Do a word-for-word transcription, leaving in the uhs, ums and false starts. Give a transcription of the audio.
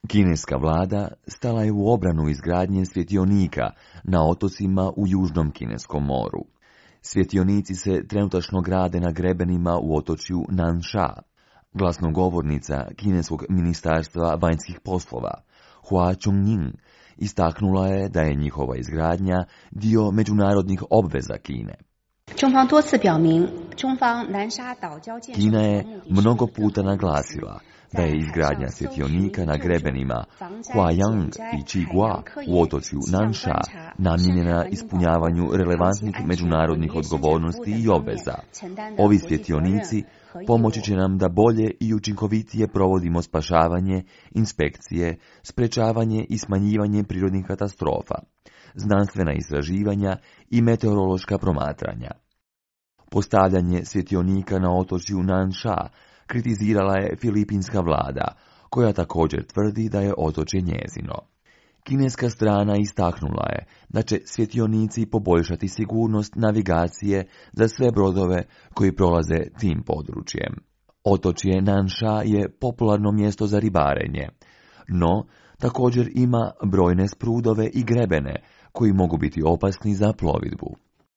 Kineska vlada stala je u obranu izgradnje svjetionika na otocima u Južnom Kineskom moru. Svjetionici se trenutačno grade na grebenima u otočju Nansha. Glasnogovornica Kineskog ministarstva vanjskih poslova, Hua Chunying, istaknula je da je njihova izgradnja dio međunarodnih obveza Kine. Kina je mnogo puta naglasila da je izgradnja svjetionika na grebenima Huayang i Qigua u otočju Nansha namijenjena ispunjavanju relevantnih međunarodnih odgovornosti i obveza. Ovi svjetionici pomoći će nam da bolje i učinkovitije provodimo spašavanje, inspekcije, sprečavanje i smanjivanje prirodnih katastrofa, znanstvena istraživanja i meteorološka promatranja. Postavljanje svjetionika na otočju Nansha kritizirala je filipinska vlada, koja također tvrdi da je otočje njezino. Kineska strana istaknula je da će svjetionici poboljšati sigurnost navigacije za sve brodove koji prolaze tim područjem. Otočje Nansha je popularno mjesto za ribarenje, no također ima brojne sprudove i grebene koji mogu biti opasni za plovidbu.